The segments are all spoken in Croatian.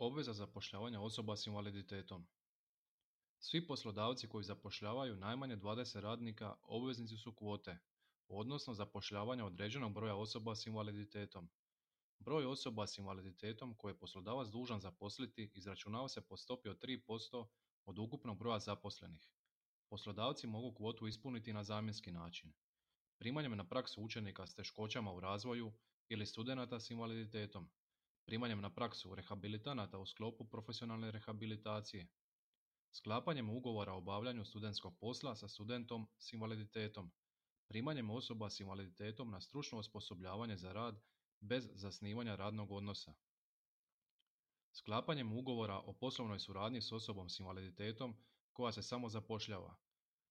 Obveza zapošljavanja osoba s invaliditetom. Svi poslodavci koji zapošljavaju najmanje 20 radnika obveznici su kvote, odnosno zapošljavanja određenog broja osoba s invaliditetom. Broj osoba s invaliditetom koje je poslodavac dužan zaposliti izračunava se po stopi od 3% od ukupnog broja zaposlenih. Poslodavci mogu kvotu ispuniti na zamjenski način. Primanjem na praksu učenika s teškoćama u razvoju ili studenata s invaliditetom. Primanjem na praksu rehabilitanata u sklopu profesionalne rehabilitacije. Sklapanjem ugovora o obavljanju studentskog posla sa studentom s invaliditetom. Primanjem osoba s invaliditetom na stručno osposobljavanje za rad bez zasnivanja radnog odnosa. Sklapanjem ugovora o poslovnoj suradnji s osobom s invaliditetom koja se samo zapošljava.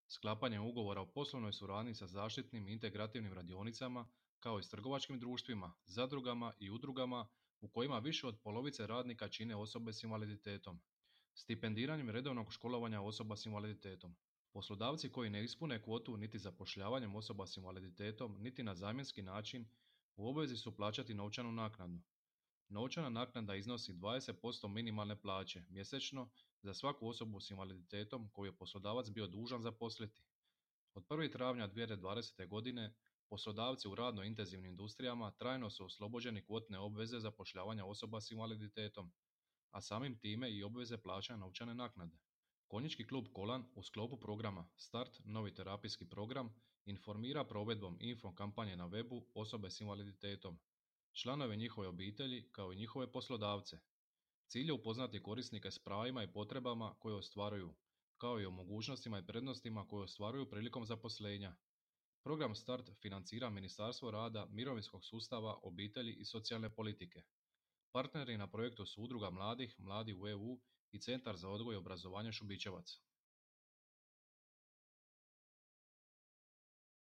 Sklapanjem ugovora o poslovnoj suradnji sa zaštitnim i integrativnim radionicama kao i s trgovačkim društvima, zadrugama i udrugama u kojima više od polovice radnika čine osobe s invaliditetom. Stipendiranjem redovnog školovanja osoba s invaliditetom. Poslodavci koji ne ispune kvotu niti zapošljavanjem osoba s invaliditetom niti na zamjenski način u obvezi su plaćati novčanu naknadu. Novčana naknada iznosi 20% minimalne plaće mjesečno za svaku osobu s invaliditetom koju je poslodavac bio dužan zaposliti. Od 1. travnja 2020. godine poslodavci u radno intenzivnim industrijama trajno su oslobođeni kvotne obveze zapošljavanja osoba s invaliditetom, a samim time i obveze plaćanja novčane naknade. Konjički klub Kolan u sklopu programa Start, novi terapijski program, informira provedbom info kampanje na webu osobe s invaliditetom, članove njihove obitelji kao i njihove poslodavce. Cilj je upoznati korisnike s pravima i potrebama koje ostvaruju, kao i o mogućnostima i prednostima koje ostvaruju prilikom zaposlenja. Program Start financira Ministarstvo rada, mirovinskog sustava, obitelji i socijalne politike. Partneri na projektu su Udruga mladih, Mladi u EU i Centar za odgoj i obrazovanje Šubićevac.